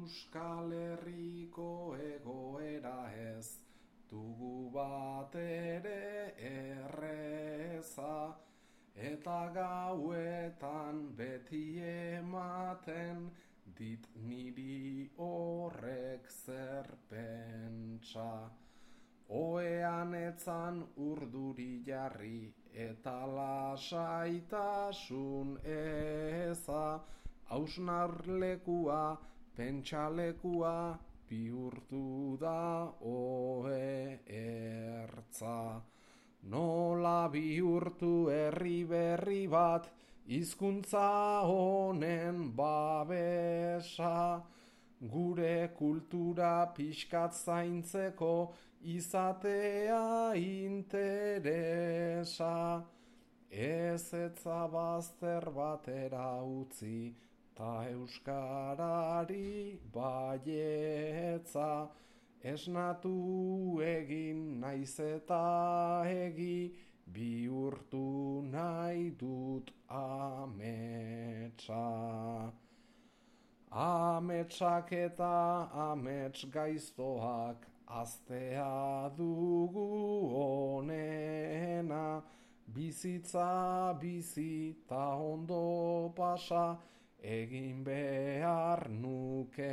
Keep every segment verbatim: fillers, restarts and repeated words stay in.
Euskal Herriko egoera ez dugu bat ere erreza, eta gauetan beti ematen dit niri horrek zer pentsa. Oean etzan urduri jarri eta lasaitasun eza, hausnarlekua, pentsalekua, bihurtu da ohe ertza. Nola bihurtu herri berri bat, hizkuntza honen babesa, gure kultura pixkat zaintzeko izatea interesa. Ez etza bazter batera utzi, ta euskarari baietza, esnatu egin naiz eta egi, bihurtu nahi dut ametsa. Ametsak eta amets gaiztoak aztea dugu onena, bizitza bizi ta ondo pasa egin behar nukeena.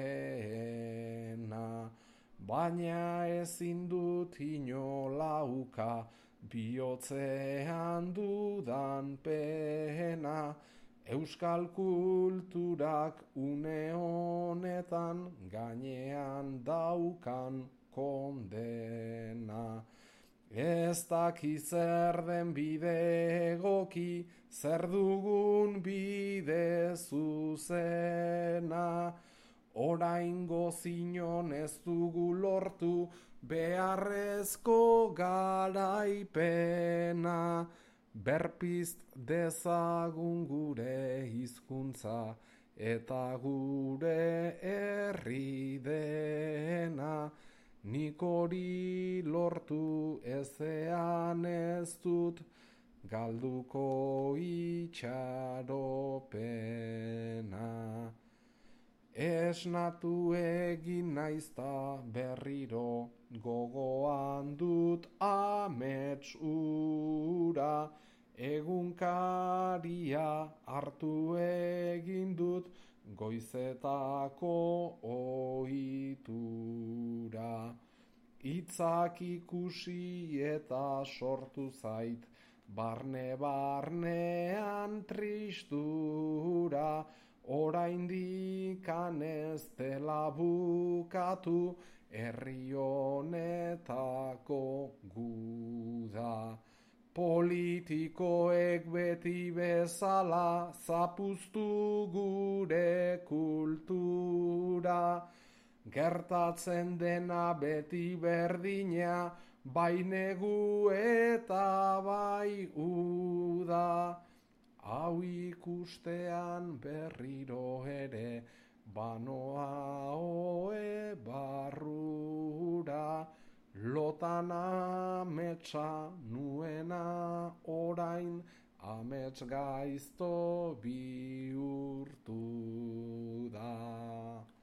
Baina ezin dut inola uka bihotzean dudan pena, euskal kulturak une honetan gainean daukan kondena. Ez daki zer den bide egoki, zer dugun bide zuzena, oraingo zinon ez dugu lortu beharrezko garaipena. Berpizt dezagun gure hizkuntza eta gure herri dena, nik hori lortu ezean ez dut galduko itxaropena. Esnatu egin naizta berriro gogoan dut amets ura, egunkaria hartu egin dut goizetako ohitura. Hitzak ikusi eta sortu zait barne-barnean tristura, oraindik ez dela bukatu herri honetako guda. Politikoek beti bezala zapuztu gure kultura, gertatzen dena beti berdina, bai negu eta bai uda. Hau ikustean berriro ere, banoa oe barrura, lotan ametsa nuena orain, amets gaizto bihurtu da.